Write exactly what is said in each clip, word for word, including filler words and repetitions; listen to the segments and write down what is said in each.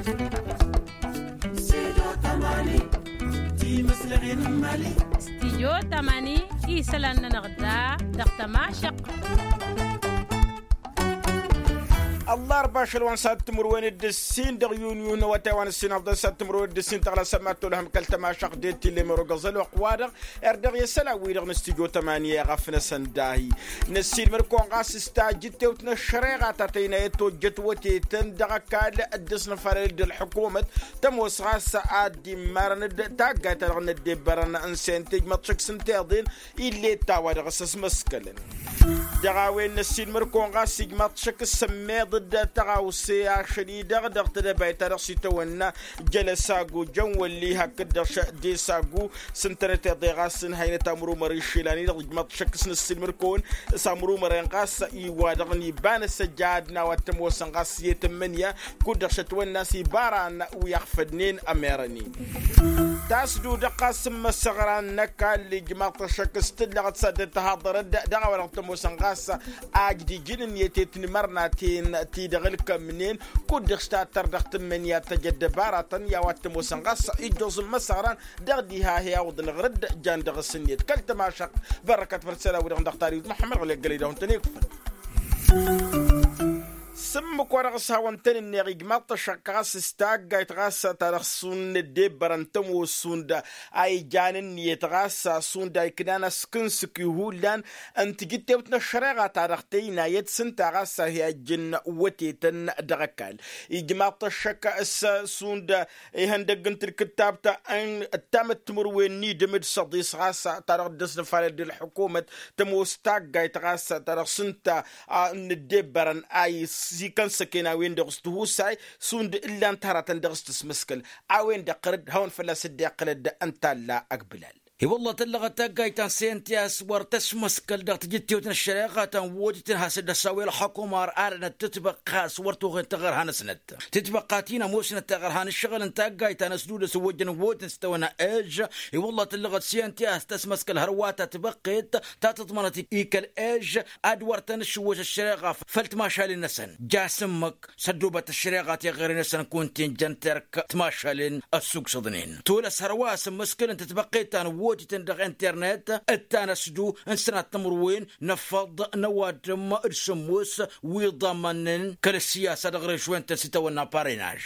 Studio tamani isălan-nănăɣ da dăɣ-tămašăɣt. Ăllarba ašăl wa n-sad timǝrwen d-ǝssin dăɣ-yunyu n-awătay wa n-ǝssin ăfḍăn sad timǝrwen d-ǝssin tăɣla sămmat tolhăm kăl-tămašăɣt d-tillemăr ogăẓăl oqq wa-dăɣ. Erdăɣ i-isălan-wi-dăɣ n-studio tamani iɣăf n-asăndahi n-ăssiilmăr-kăwăn ɣas s-tajǝttewt n-ăššăreɣa ta tăynayăt tojjăt wătetăn dăɣ-ăkall dd-ăsnăfalăl d-ălḥukumăt tămoos ɣas ad-dd-immarăn d-taggayt-ta-dăɣ n-ăddebbărăn n-sente ijmăḍ šăkk s-ǝnta iḍen ill'-e t-a-wa-dăɣ s-ăsmăskălăn. Dăɣ-a-wen n-ăssiilmăr-kăwăn ɣas ijmăḍ šăkk s-ămmeḍ d-tăɣawse ašăl-i-dăɣ dăɣ-tedăbayt-ta-dăɣ s-itawănna jălăsagu jăn wăl'-i hakd-dăɣ d-esagu s-ǝntănăt iḍe ɣas ǝnhăynăt amrumăr išilan-i-dăɣ ijmăḍ šăkk s-năssiilmăr-kăwăn s-amrumăren ɣas i-wa-dăɣ n-iba n-asăjad n-a-wa t-ămoosăn ɣas i-tǝmmǝnǝya kud-dăɣ šătwănna s-ibaran wi ăɣfădnen ămerăn-in. Tasdudăɣ ɣas n-imăsăɣran n-ăkall ijmaḍ-t ăššăk s-tǝllăɣăt s-ad-dd-tăhaḍărăd dăɣ-a-wa-dăɣ t-ămoosăn ɣas ajdǝj n-ǝnniyăt i-tinmărnaten ti-dăɣ ǝlkămnen kud-dăɣ s-tattăr dăɣ-tǝmmǝnǝya tăj ăddăbaratăn i-a-wa t-ămoosăn ɣas ijjoẓ n-imăsăɣran dăɣ-diha hi-awǝḍnăɣ rǝdd jan dăɣ-s ǝnniyăt kăl-tămašăɣt. Bărrăkăt făll-isălan-wi-dăɣ dăɣ-tariwt muḥămmăd ɣǝlli ăggălăy dăɣ-wăn-tăn-ikfăn. S-ǝmmǝk wa dăɣ-s hawăn-tăn-ǝnneɣ ijmaḍ-t ăššăk ɣas s-taggayt ɣas ta dăɣ-s šund n-ăddebbărăn tămoos šund a ijan ǝnniyăt ɣas šund a iknan ăskǝnsǝk i-hullan n-tijǝttewt n-ăššăreɣa ta dăɣ-tăynayăt s-ǝnta ɣas a hi-ajjǝn wătetăn dăɣ-ăkall. Ijmaḍ-t ăššăk s-šund ihăndăgg n-tǝlkǝttabt n-ǝttamăt timǝrwen n-idǝm d-săḍis ɣas ta dăɣ-dd-ăsnăfalăl d-ălḥukumăt tămoos taggayt ɣas ta dăɣ-s ǝnta a n-ǝddebbărăn a isikăn săken a-wen-dăɣ s-tihusay šund ǝllan-t hărătăn dăɣ-s tǝsmǝskǝl a-wen-dăɣ ɣărăd hawăn-fălla-s dd-iqqǝlăd ǝnta a ălla ăgg bǝlal. I-wălla tăllăɣăt taggayt ta n-sente a-s wăr tăsmăskăl dăɣ-tijǝttewt n-ăššăreɣa ta n-wotităn has-dd-ăsawăy ălxăkum ar arănăt tǝtbăqqa a-s wăr toxen taɣărha-năsnăt tǝtbăqqa ti n-ămoosnăt taɣărha n-ǝššăɣǝl n-taggayt ta n-ăsdudăs ăwwăjjăn n-wotǝn s-tawănna ej. I-wălla tăllăɣăt sente a-s tăsmăskăl hărwa ta tibăqqet ta tǝḍmănăt i-kăl-ej ad-wăr tăn-ǝššǝwwăš ăššăreɣa făll-timašalen-năsăn. Jasǝmmăk s-ăddoobăt ăššăreɣa teɣăre-năsăn kunta injăn terk timašalen ăssugsăḍnen tolăs hărwa a-s ǝmmǝskǝlăn tǝtbăqqet ta n-wotităn dăɣ-internet d-ta n-ăsdu n-sănat timǝrwen n-ăffăḍ n-ăwadǝm d-sǝmmos wi ḍammănnen kăl-ăssiyasa dăɣ-režwen-tăn s-itawănna parenaž.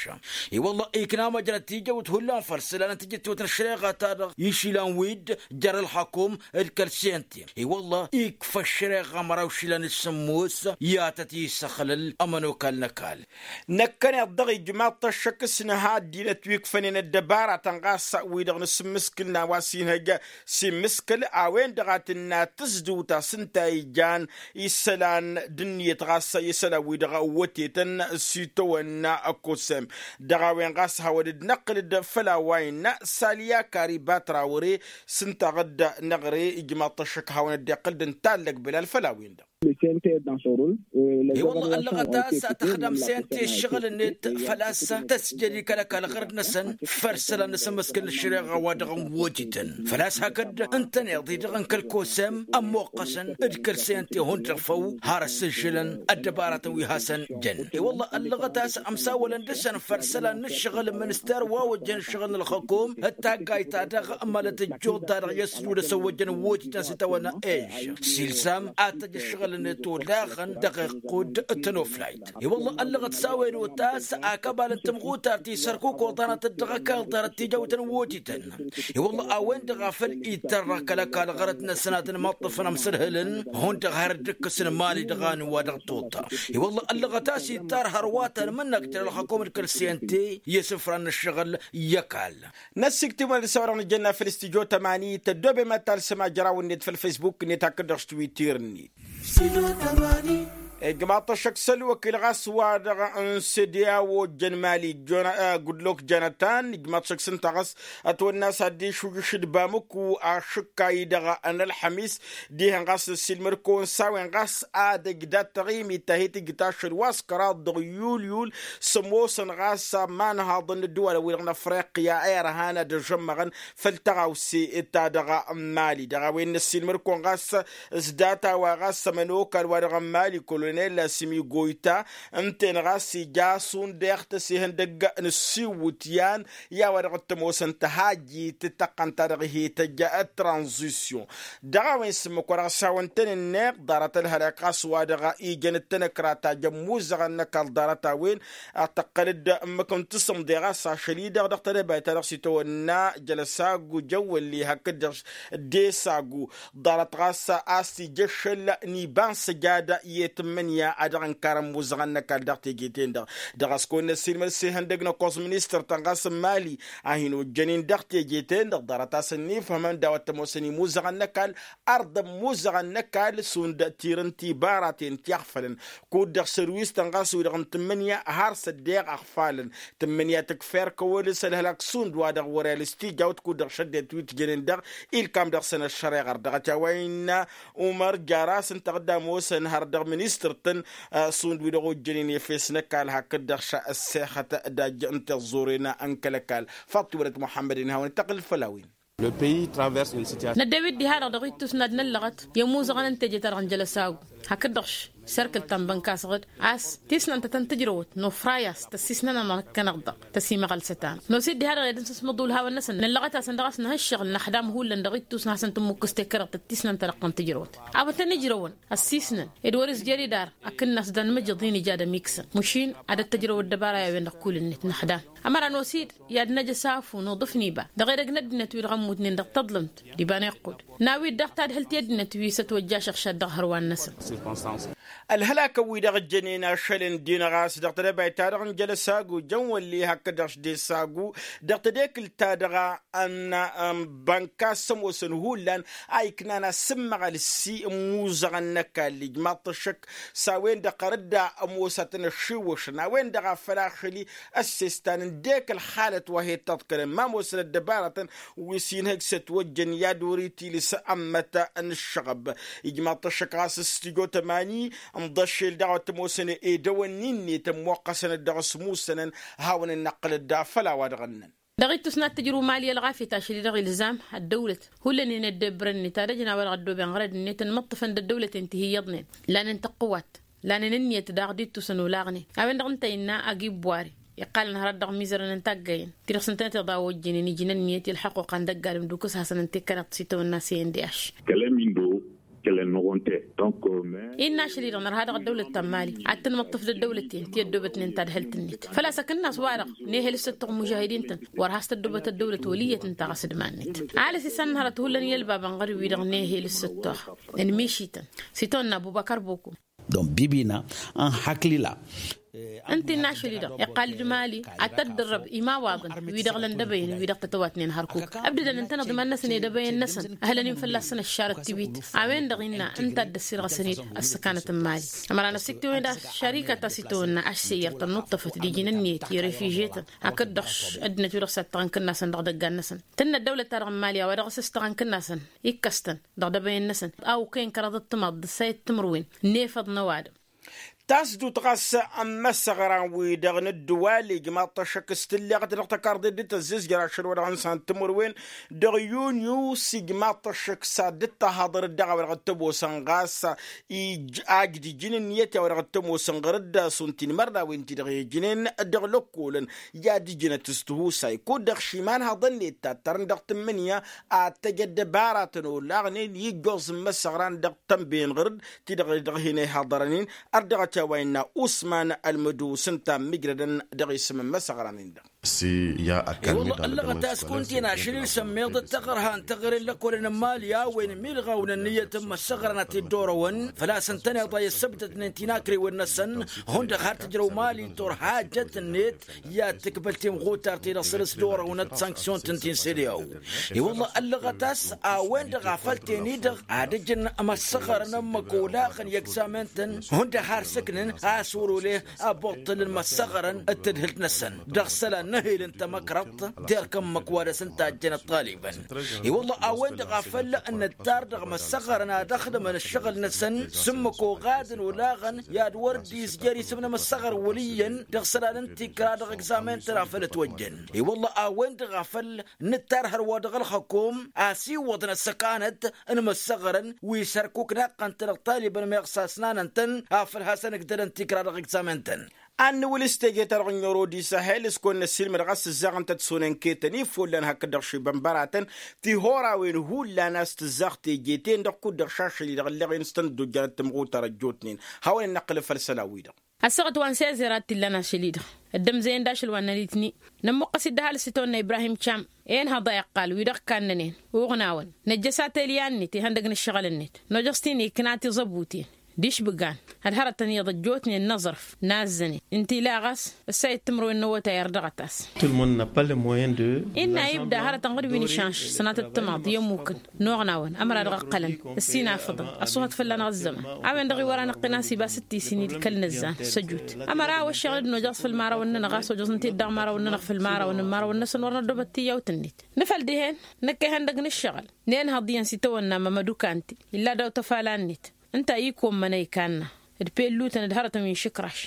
I-wălla ikna măjrăt tijăwt hullan făll-isălan n-tijǝttewt n-ăššăreɣa-ta-dăɣ išilan-wi-dd jer-ălxăkum d-kăl-sente. I-wălla ikfa ăššăreɣa măraw išilan d-sǝmmos i-ad-tăt-isăxlăl ămănokal n-ăkall. Năkkăneḍ-dăɣ ijmaḍ-t ăššăk s-inha ăddinăt wi ǝkfănen ăddăbaratăn ɣas wi-dăɣ n-asǝmmǝskǝl n-a-wa s-inhăj s-immǝskǝl a-wen-dăɣ a tǝnna tǝzduwt a-s ǝnta a ijan isălan d-ǝnniyăt ɣas i-isălan-wi-dăɣ ăwwătetăn s-itawănna ăkosem. Dăɣ-a-wen ɣas hawăn-dd-năqqǝl-dd făll-a-wa innă saliya kariba trawăre s-ǝnta ɣǝdda n-aɣre ijmaḍ-t ăššăk hawăn-dd-iqqǝl d-ǝntallăg bǝlal făll-a-wen-dăɣ. I-wălla ăllăɣăt a-s tăxdăm sente ǝššăɣǝl-net făl-a-s tăsjăd i-kăl-ăkall ɣărăt-năsăn făll-isălan n-asǝmmǝskǝl n-ăššăreɣa wa dăɣ-n wotităn făl-a-s hakd ǝntăneḍ-i-dăɣ n-kăl-kosem ămmoqqăsăn d-kăl-sente hundăɣ făw. Har ăssǝžžǝlăn ăddăbaratăn wi hasăn-jăn i-wălla ăllăɣăt a-s ămsawălăn dăɣ-săn făll-isălan n-ǝššăɣǝl n-minister wa ojjăn ǝššăɣǝl n-ălxăkom d-taggayt-ta-dăɣ mălăt ăjjuḍ-ta-dăɣ i-ăsdudăs ăwwăjjăn n-wotităn s-itawănna ej s-ilsam ad-tăj ǝššăɣǝl-net olaɣăn dăɣ-iqqud d-tănoflayt. I-wălla ăllăɣăt s-a-wen otas akăbal n-tamɣutar ti sărkukoḍanăt-dd dăɣ-ăkall ḍarăt tijăwt n-wotităn. I-wălla a-wen-dăɣ a făl itărrăɣ kăl-ăkall ɣărăt-năsăn ad-ănmăṭṭăfăn amsǝlhǝlăn hundăɣ har dd-ǝkkǝsăn imali dăɣ-anǝw wa dăɣ-toḍa. I-wălla ăllăɣăt a-s ittar hărwa ta n-imǝnnăk jer-ălxăkom d-kăl-sente i-isǝfran n-ǝššăɣǝl i-ăkall. Năssiktǝm wa dăɣ-s a-wa-dăɣ nǝjănna făll-studyo tămani tăddoobem ad-talsăm ajraw-net făll-facebook-net hakd-dăɣ s-twitter-net. Ijmaḍ-t ăššăk s-ălwăkil ɣas wa-dăɣ n-sediya ojjăn mali gudlok janătan ijmaḍ-t ăššăk s-ǝnta ɣas ătwănna a-s ad-dd-išujǝš d-bamǝku ašǝkka-i-dăɣ n-ălxămis dihen ɣas n-ăssiilmăd-kăwăn s-a-wen ɣas ad-ăj dat-taɣimit ta hi-tǝjǝt ašăl wa s-kăraḍ dăɣ-yulyul s-ămoosăn ɣas imanhaḍăn n-ădduwalăn-wi-dăɣ n-afriqya irhan ad-ăžămmăɣăn făll-taɣawse-ta-dăɣ n-mali dăɣ-a-wen n-ăssiilmăd-kăwăn ɣas s-data-wa ɣas ămănokal wa dăɣ-n mali kăl-wăr Nella simigoyta ǝnta-en ɣas ija šund deɣ tăsihăndăgg n-ǝssiwǝtyan i-a-wa-dăɣ t-ămoosăn tăhajjit tăqqăn-ta-dăɣ hi-tăjja tranzisyon. Dăɣ-a-wen s-ǝmmǝk wa dăɣ-s hawăn-tăn-ǝnneɣ ḍarăt ălhălak ɣas wa-dăɣ ijăn d-tanăkra ta jăn imuzăɣăn n-ăkall ḍarăt-a-wen. Ad-tăqqăl-dd ǝmmǝk n-tasǝmḍe ɣas ašăl-i-dăɣ dăɣ-tedăbayt-ta-dăɣ s-itawănna jălăsagu jăwwălli hakd-dăɣ. Desagu ḍarăt ɣas a-s ija ašăl n-iba n-săjad i-tǝmmǝnǝya a dăɣ-ǝnkarăn imuzăɣăn n-ăkall dăɣ-teje-ten-dăɣ. Dăɣ-a-s kăwăn-năssiilmăd s-ihăndăg n-ăkkoẓ ministăr-tăn ɣas n-imali a hin-ojjănen dăɣ-teje-ten-dăɣ ḍarăt a-s ănnifhămăn d-a-wa t-ămoosăn imuzăɣăn n-ăkall. Ărḍăn imuzăɣăn n-ăkall šund tirǝn tibaraten ti ăɣfălăn kud-dăɣ sărwis-tăn ɣas wi-dăɣ n-tǝmmǝnǝya har s-ăddeɣ ăɣfalăn. Tǝmmǝnǝya tǝkfa erk ăwăl s-ălhălak šund wa-dăɣ wăr-elǝs tijawt kud-dăɣ šăddent wi t-jănen dăɣ-ilkam dăɣ-săn ăššăreɣăr dăɣ-t i-a-wa innă umăr jar-asăn-tăɣ dd-ămoosăn har dăɣ-ministăr-tăn. Šund wi-dăɣ ojjănen efes n-ăkall hakd-dăɣ šăssexăt d-ajj n-tiẓẓuren n-kăl-ăkall. Faḍt-i wălăt muḥămmăd-in hawăn-dd-tăɣǝl făll-a-wen. Năddew-dd diha-dăɣ dăɣ-ittus n-ad-năllăɣăt i-ămuzăɣăn n-teje-ta-dăɣ n-jălăsagu hakd-dăɣ. Serkǝl ta n-bănka-săɣ-dd a-s tisnant ta tăn-tǝjrăwăt nofray a-s tăssisnănănăɣ-kănăɣ-dăɣ tăsimăɣălsăt-anăɣ nos-dd diha-dăɣ i-ad-ǝnsǝsmăḍ ulhawăn-năsăn năllăɣăt-asăn dăɣ-a-s năhǝššăɣǝl năxdam hullan dăɣ-ittus n-hasăn-tǝmmǝkkǝs tekăreḍt d-tisnant ta dăɣ-tăn-tǝjrăwăt. Abătăn ǝjrăwăn ăssiisnăn ed wăr-izjăr idar akǝnnas d-anmǝjăḍ-in ija ad-ămiksăn mašin ad-ăttăjrăw ăddăbara i-a-wen-dăɣ kull-net năxdam. Ămăra nos-dd i-ad-năj ăsafu n-uḍǝf n-iba dăɣ-edăgg n-ăddinăt wi-dăɣ ămmutnen dăɣ-taḍlǝmt d-iba n-iqqud n-a-wi-dd dăɣ-tadhǝlt i-ăddinăt wi s-ătwăjja ašăɣšad dăɣ-hărwan-năsăn. Ălhălakăn-wi-dăɣ ǝjjănen ašăl n-dinăɣ a-s dăɣ-tedăbayt-ta-dăɣ n-jălăsagu jăn wălli hakd-dăɣ s-desagu dăɣ-tedekǝlt-ta-dăɣ n-bănka s-ămoosăn hullan a iknan asǝmmăɣăl s-i n-imuzăɣăn n-ăkall ijmaḍ-t ăššăk s-a-wen-dăɣ ɣărădda ămoosătăn ăššiwwăšăn a-wen-dăɣ a făl ašăl-i ăssestan ǝndek ălxalăt wa he-dd-tăḍkălăn ma ămoosăn ăddăbarătăn wi s-inhăj s-ătwăjjăn i-ad-wăr-itilǝs ămmăt n-ǝššăɣăb. Ijmaḍ-t ăššăk ɣas s-tijo tămani ǝmḍăššel daɣ wa t-ămoosăn edăwănni-net ămmoqqăsăn-dd dăɣ-s musănăn. Hawăn-dd-năqqǝlăd făll-a-wa dăɣ-ǝnnăn. Dăɣ-ittus n-ad-tǝjrǝw mali ălɣafyăt ašăl-i-dăɣ ilzam ăddăwlăt hullan-in ăddebbărăn-net ad-ăjăn a-wa dăɣ-ăddooben ɣărăd-net ănmăṭṭăfăn d-ăddăwlăten ti hi-iyyăḍnen lanen tăqqǝwat lanen ǝnniyăt daɣ d-ittusăn olaɣnen. A-wen-dăɣ ǝnta innă agi ǝbbuwari iqqalăn hărăt dăɣ-imizărăn n-taggăyen ti-dăɣ s-ǝntănăt iḍa a ojjănen ijnăn ǝnniyăt i-ălxăqquqa n-dăgg-adǝm d-ukǝs hasăn-ănta ikkanăɣ s-itawănna s-e n d-i-aš. Kăl-ămindo kăl-ănnuɣ ǝnta-e. Innă ašăl-i-dăɣ nărha dăɣ-ăddăwlăt ta n-imali ad-tăn-măṭṭăf d-ăddăwlăten ti ăddoobătnen tadhǝlt-net făl-a-s akǝnnas-wa-dăɣ n-ehel s-ăttuɣ imužahidin-tăn wăr has-tăddoobăt ăddăwlăt wăl' iyyăt ǝnta ɣas d-iman-net. Ăhalǝs isănnăhărăt hullan i-ălbabăn ɣăr-wi-dăɣ n-ehel s-ăttuɣ n-mišităn s-itawănna ăbubăkăr boko. Dăɣ-n bibina ănhăklila. Ǝnta innă ašăl-i-dăɣ iqqal-dd mali ad-tăddărrăb imawaḍăn wi-dăɣ lăn dăbăyăn wi-dăɣ tătăwatnen hărkuk ǝbdădăn ǝntăneḍ iman-năsăn i-dăbăyăn-năsăn ăhǝlăn-in fălla-săn ăššarăt tiwit. A-wen-dăɣ innă ǝnta a dd-ăssirɣăsăn-dd ăssăkanăt n-mali. Ămăra n-ăssiktǝwen d-aššarikăt a-s itawănna ašseyyăr tănnuṭṭăfăt d-iji n-ǝnniyăt i-refijyetăn hakd-dăɣ ăddinăt wi-dăɣ s-ad-tăɣ n-kǝnnasăn dăɣ-idăggan-năsăn tǝnna ăddăwlăt-ta-dăɣ n-mali a-wa dăɣ-s s-tăɣ n-kǝnnasăn ikkăs-tăn dăɣ-idăbăyăn-năsăn a okăyăn kăraḍăt timaḍt d-sayăt timǝrwen n-efăḍ n-ăwadǝm. Tasdut ɣas n-imăsăɣran-wi-dăɣ n-ǝddǝwal ijmaḍ-t ăššăk s-tǝlleɣăt dăɣ-tăkarḍit d-tăzzizjăr ašăl wa dăɣ-nǝshăn timǝrwen dăɣ-yunyu s-ijmaḍ-t ăššăk s-ad-dd-tăhaḍăr dd-a-wa dăɣ-t-ămoosăn ɣas ij ajj d-ijǝn ǝnniyăt i-a-wa dăɣ-t-ămoosăn ɣăr-dd šund tinmărnawen ti-dăɣ ijnen dăɣ-lăkkolăn i-ad-ǝjǝnăt s-tihusay kud-dăɣ šiman haḍăn-net tattărăn dăɣ-tǝmmǝnǝya ad-tăj ăddăbaratăn olaɣnen ijjoẓ n-imăsăɣran dăɣ-tănben ɣăr-dd ti-dăɣ dăɣ-hin-ihăḍărăn-in. Ărdăɣăt i-a-wa innă usman ălmădus ǝnta a ǝmmǝjrădăn dăɣ-isǝm n-imăsăɣran-in-dăɣ. I-wălla ăllăɣăt a-s kunta-in ašăl-i-sămmeḍ d-taɣărha n-taɣăre n-lăkkolăn n-mali a-wen milɣaw n-ǝnniyăt n-imăssăɣrăn a t-dd-orăwăn făl-a-s ǝntăneḍ a i-ăssăbdădnen tinakrewen-năsăn. Hundăɣ har tǝjrăw mali turha ăjjăt-net i-ad-tǝkbăl timɣutar ti-dăɣ săr-s dd-orăwnăt sanksyon-tăn ti n-sedeao. I-wălla ăllăɣăt a-s a-wen-dăɣ a făl ten-i-dăɣ ad-ǝjǝn imăssăɣrăn ǝmmǝk olaɣăn i-egzamen-tăn. Hundăɣ har sǝknǝn a-s wăr-ole abuṭṭǝl n-imăssăɣrăn d-tadhǝlt-năsăn dăɣ-isălan. N-ehel n-tamăkrăḍt d-erk ǝmmǝk wa dăɣ-s ǝnta a ăjjăn ăṭṭalibăn. I-wălla a-wen-dăɣ a făl nǝttar dăɣ-imăssăɣărăn ad-ăxdǝmăn ǝššăɣǝl-năsăn s-ǝmmǝk oɣadăn olaɣăn i-ad-wăr dd-izjăr isǝm n-imăssăɣăr wăl' iyyăn dăɣ-isălan n-tikra dăɣ-egzamen-tăn a făl ătwăjjăn. I-wălla a-wen-dăɣ a făl nǝttar hărwa dăɣ-ălxăkom asiwăḍăn ăssăkanăt n-imăssăɣărăn wi s-hărkuk naqqăn-tăn ăṭṭalibăn meɣ sasnanăn-tăn afăl hasăn-ǝgdălăn tikra dăɣ-egzamen-tăn. Ad-nǝwǝl s-teje-ta-dăɣ n-oro di sahel s-kăwăn-năssiilmăd ɣas tǝzzaɣ ǝnta d-sonen ketăn ifollan hakd-dăɣ šibănbăratăn. Tihorawen hullan a-s tǝzzaɣ teje-ten-dăɣ kud-dăɣ šašăl-i-dăɣ ǝlleɣ-en s-tăn-dd-ojjanăt tǝmɣutar ăjjootnen. Hawăn-in-năqqǝlăf făll-isălan-wi-dăɣ. Ăssaɣăt wa n-sezer a t-illan ašăl-i-dăɣ ăddămzăyăn d-ašăl wa n-ălitni. Nămmuqqăs-dd ăhalǝs itawănna ibrahim cam. Enhăḍ a iqqal wi-dăɣ kannănen uɣnawăn năjjăs atelya-net ihăndăg n-ǝššăɣǝl-net. Nojăs-t-in ikna tiẓăbuten d-išbǝgan. Ălhărătăn iyyăḍ ăjjootnen n-aẓrǝf n-azzănen ǝnta ila ɣas ǝssa i-timǝrwen n-awătay ar dăɣ-ătas. Innă ibda hărătăn ɣǝd wi n-išanš sănatăt timaḍ i-ămmukăn n-oɣnawăn ămăra dăɣ-ǝqqălăn ăssinafăḍăn ăṣṣuhăt fălla-năɣ ăzzăman. A-wen-dăɣ iwăr anăqqin-as ibas d-tisin-i d-kăl-nǝzzan s-ăjut. Ămăra a-wa ǝššăɣǝl-dd nojăɣ-s făll-imărawăn-nănăɣ a-s ojăẓ ǝnta i-dd-dăɣ imărawăn-nănăɣ făll-imărawăn n-imărawăn-năsăn wăr năddobăt tiyyawt-net. Nǝfăl dihen năkk ihăndăg n-ǝššăɣǝl nenhăḍ iyyăn s-itawănna mămădukanti illa daw-tafala-net. Ǝnta a ikommăn a ikanna d-pellutăn d-hărătăn wi n-išǝkraš.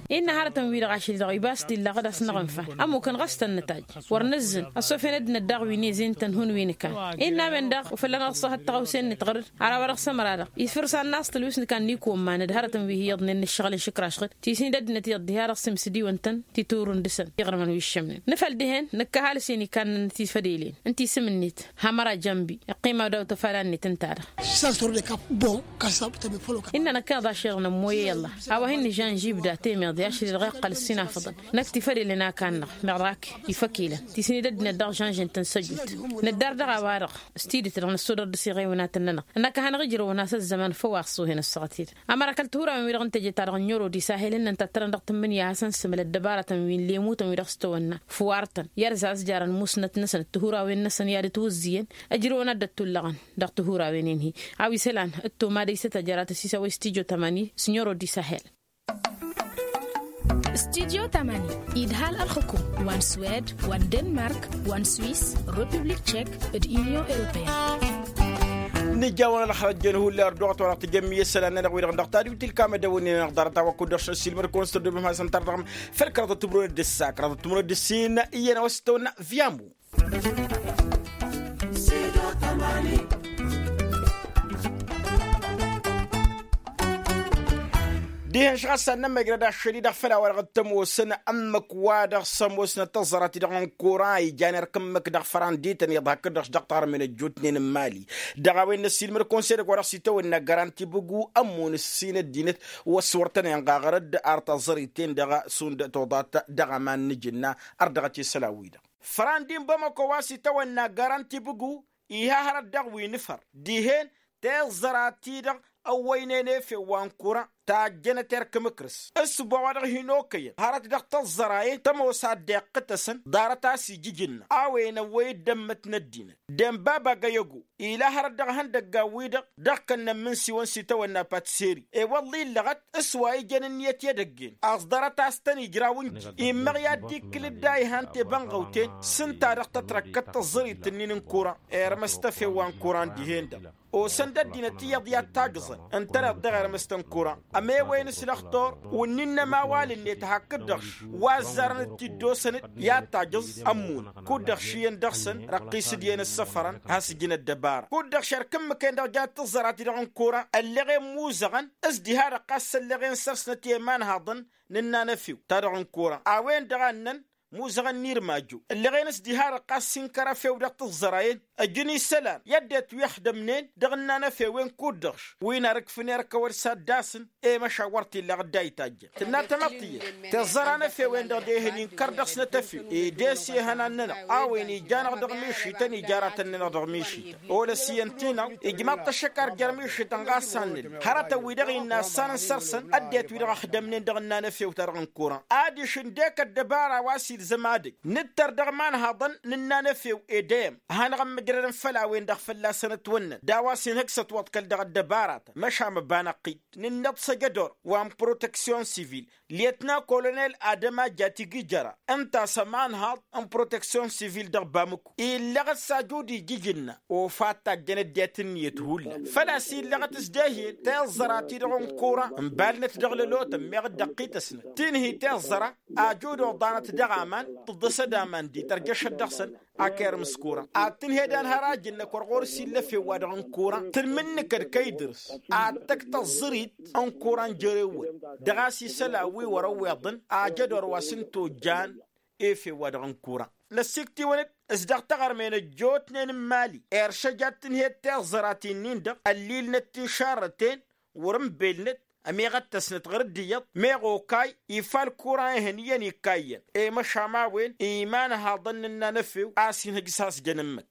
Innă hărătăn-wi-dăɣ ašăl-i-dăɣ ibas-t illa ɣǝd a-s năɣ-ǝnfan ămmukăn ɣas tăn-nǝtajj wăr nǝzzǝn. Ăssofăn ăddinăt daɣ wi n-ezin-tăn hun wi n-ǝkan. Innă a-wen-dăɣ ufăllan ad-ăṣṣăhăt taɣawse-net ɣăr-dd ar a-wa dăɣ-s ămăra-dăɣ ifǝrsa ănn a-s tălwǝs n-ikan n-ikumman d-hărătăn wi hi-iyyăḍnen n-ǝššăɣǝl n-išǝkraš ɣǝd. Tisni d-ăddinăt iyyăḍ diha-dăɣ s-imsǝdiwăn-tăn titurǝn dăɣ-săn iɣrǝmăn wi ǝššămnen. Nǝfăl dihen nǝkkăh alǝs-en ikannăn n-tifădelen ǝnta isǝm-net hamăra jănbi. Iqqima daw-tafala-net ǝnta-dăɣ. Innă năkk iḍašăyăḍ nămmoyăy ăllah. A-wa hin-nǝžžanžibda temeḍe ašăl-i-dăɣ iqqăl ǝssinafăḍăn năkk tifădelen a kannăɣ meɣ dăɣ-ak ifăk-ilăn. Tisni d-ăddinăt daɣ žănžen-tăn s-ăjut nǝddar dăɣ-a-wa-dăɣ s-tidǝt-dăɣ năssodăr dăɣ-s iɣewnatăn-nănăɣ. Ănnăkăh-anăɣ ijrăwăn a-s ăzzăman făw a ăṣṣuhen ăssaɣăt-i-dăɣ. Ămăra kăl-tihurawen wi-dăɣ n-teje-ta-dăɣ n-ero d-isahel ǝnnăn tattărăn dăɣ-tǝmmǝnǝya a hasăn-sǝmǝl ăddăbarătăn wi n-lemutăn wi dăɣ-s tăwănna fuwartăn i-ad-zazjarăn musnăt-năsăn d-tihurawen-năsăn i-ad-ătwǝzzǝyăn. Ăjrăwăn ad-dd-ăttullăɣăn dăɣ-tihurawen-en-hi. A-wa isălan ǝtto mad-ăysăt ajărat ăsisăwăy s-tidyo tămani s-n-ero d-isahel. Studyo tămani idhal ălxǝkum wa n-swed wa n-denmark wa n-swis, republik tšek, d-inyon europeyăn. Nǝjawăn ălxăjjăn hullar duɣăt wa dăɣ-tijămmi isălan-nănăɣ wi-dăɣ dăɣ-tadwit ilkam ădăwănnen-nănăɣ ḍarăt a-wa kud-dăɣ šăn silmăd-kăwăn s-tărdăɣăm făll-kăraḍăt timrăwnet d-ǝssa kăraḍăt timrăwnet d-ǝssin iyyăn a-wa s-tăwănna. Vyamu. Dihen šăɣ a-s ad-nămmăjrăd ašăl-i-dăɣ făll-a-wa-dăɣ t-ămoosăn ǝmmǝk wa dăɣ-s ămoosnăt tăẓẓărat-i-dăɣ n-kuran ijan erk ǝmmǝk dăɣ-fărandităn iyyăḍ hakd-dăɣ-š dăɣ-taɣrǝmen ăjjootnen n-imali. Dăɣ-a-wen n-ăssiilmăd konsey-dăɣ wa dăɣ-s itawănna garanti bǝgu ămmun ǝssin ăddinăt wa s-wăr tăn-inɣaɣăr dd-ar taẓẓărit-en-dăɣ šund toḍat dăɣ-aman n-ajǝnna. Ărdăɣăt isălan-wi-dăɣ fărandi n-bamăko wa s-itawănna garanti bǝgu. Iha hărăt dăɣ-wi n-ifăr dihen teẓẓăra-ti-dăɣ ăwwăynen efew wa n-kuran tajjănăt erk imǝkrǝs. S-ǝbba wa dăɣ-hin-okăyăn hărăt dăɣ-tăẓẓăra-en tămoos ad-dd-iqqǝtăsăn ḍarăt a-s ija ijǝnna a-wen ăwwăy-dd ămmǝt n-ăddinăt. Denbab agăyăgo ila hărăt dăɣ-ihăndăggan-wi-dăɣ dăɣ-kănnăn imǝnsiwăn s-itawănna patseri ewălla illăɣăt s-wa ijăn ǝnniyăt i-edăgg-en ăẓḍărăt a-s tăn-ijraw ǝnji. Immăɣ i-ad-dd-ikkǝl dd-a ihan tebănɣăwten s-ǝnta-dăɣ tătrăkkăt tăẓẓărit-ǝnnin n-kuran. Irmăs-t efew wa n-kuran dihen-dăɣ osăn-dd ăddinăt iyyăḍ i-ad-tajǝẓăn ǝntăneḍ dăɣ-irmǝst n-kuran. Ămewăyăn s-lăxtur wǝnnin n-ămawal-net hakd-dăɣ-š wa ăzzarăn d-tiddosăn-dd i-ad-tajǝẓ ămmun. Kud-dăɣ š' iyyăn dăɣ-săn răqqis-dd iyyăn ǝssăfărăn has-ǝjǝn ăddăbara kud-dăɣ šerk ǝmmǝk-en-dăɣ jat tǝẓẓărat-i-dăɣ n-kuran ălleɣ-en muzăɣăn. S-diha-dăɣ ɣas ălleɣ-en săr-snăt i-imanhaḍăn n-ǝnnan efew-ta-dăɣ n-kuran a-wen-dăɣ a ǝnnăn muzăɣăn n-irmajo ǝlleɣ-en s-diha-dăɣ ɣas inkăr efew dăɣ-tǝẓẓăra-en. Ăjǝn isălan i-ăddinăt wi ăxdămnen dăɣ-ǝnnan efew-en kud-dăɣ-š wi n-arǝkfǝn erk ăwăd s-ad-dd-asǝn i-măšawăr t-illa ɣǝdda itajjăn tǝnna tamăḍt iyyăn. Tiẓẓăra n-efew-en-dăɣ dehăn inkăr dăɣ-snăt efew ed-e-s ihănan-nănăɣ a-wen ija-năɣ dăɣ-mišităn ija aratăn-nănăɣ dăɣ-mišităn. Olăs iyyăn-t-inăɣ ijmaḍ-t ăššăk ar jer-mišităn ɣas a n-nǝll hărătăn-wi-dăɣ innă ăssanăn săr-săn ăddinăt-wi-dăɣ ăxdămnen dăɣ-ǝnnan efew-ta-dăɣ n-kuran adiš ǝndek ăddăbara wa s-i ilzăm ad-ăj nǝttăr dăɣ-imanhaḍăn n-ǝnnan efew edăyăm a hanăɣ-ămmǝjrădăn făll-a-wen-dăɣ fălla-săn ătwănnăn d-a-wa s-inhǝj s-ătwăḍkăl dăɣ-ăddăbaratăn măšan măbba năqqid. Nǝnnăḍ s-ejădor wa n-proteksyon sivil lyetna kolonel adăma jatigi jăra ǝnta a-s ămanhaḍ n-proteksyon sivil dăɣ-bamǝku illăɣ-dd s-ajud ijǝjǝnna. Ofa tajjăn ăddinăt ǝnniyăt hullan făl-a-s illăɣăt s-dehyel tiẓẓăra-ti-dăɣ n-kura n-balnăt dăɣ-lălotăn meɣ dd-ăqqităsnăt tinhi tiẓẓăra ajud oḍanăt dăɣ-aman tǝḍḍăsăd aman d-itărjăšăt dăɣ-săn. Akerăm s-kura ad-tǝnhed anhăraj-năk wăr ɣur-s illa efew-wa-dăɣ n-kura tǝlmǝnnǝkăd kăydǝrs ad-tăkk tăẓẓărit n-kura n-jere-wăn dăɣ-a-s isălan wi wăr-ăwweḍăn ajădor wa s-ǝnta ojjan efew-wa-dăɣ n-kura. Năssikt'-iwăn-dd s-dăɣ taɣărmen ăjjootnen n-imali iršăj ad-tǝnhed tiẓẓăra ti-nin-dăɣ ăllilnăt ti n-šarrăten wăr-ǝnbelnăt ămiɣăttăsnăt ɣur-dd iyyăḍ meɣ okay ifal kura ihăn iyyăn ikkayyăn. I-măšan a-wen imanhaḍăn n-ǝnnan efew a-s inhǝj s-has-jăn ǝmmǝk.